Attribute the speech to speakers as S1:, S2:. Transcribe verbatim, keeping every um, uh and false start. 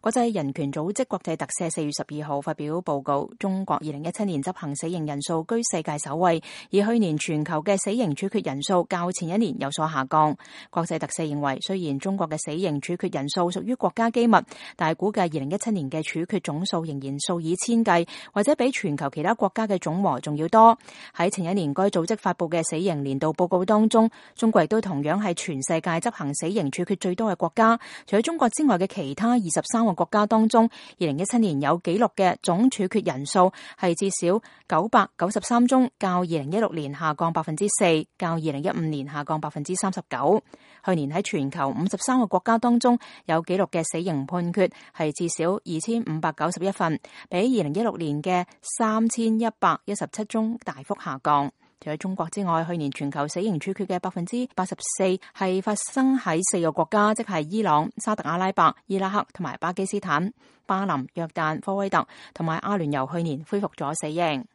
S1: 國際人權組織國際特赦四月十二號發表報告，中國二零一七年執行死刑人數居世界首位，而去年全球嘅死刑處決人數較前一年有所下降。國際特赦認為，雖然中國嘅死刑處決人數屬於國家機密，但係估計二零一七年嘅處決總數仍然數以千計，或者比全球其他國家嘅總和仲要多。喺前一年該組織發布嘅死刑年度報告當中，中國亦都同樣係全世界執行死刑處決最多嘅國家。除咗中國之外嘅其他二十三個國家當中，二零一七年有紀錄嘅總處決人數係至少九百九十三宗，較二零一六年下降百分之四，較二零一五年下降百分之三十九。去年喺全球五十三個國家當中有紀錄嘅死刑判決係至少二千五百九十一份，比二零一六年嘅三千一百一十七宗大幅下降。除咗中國之外，去年全球死刑處決嘅百分之八十四係發生喺四個國家，即係伊朗、沙特阿拉伯、伊拉克同埋巴基斯坦。巴林、約旦、科威特同埋阿聯酋去年恢復咗死刑。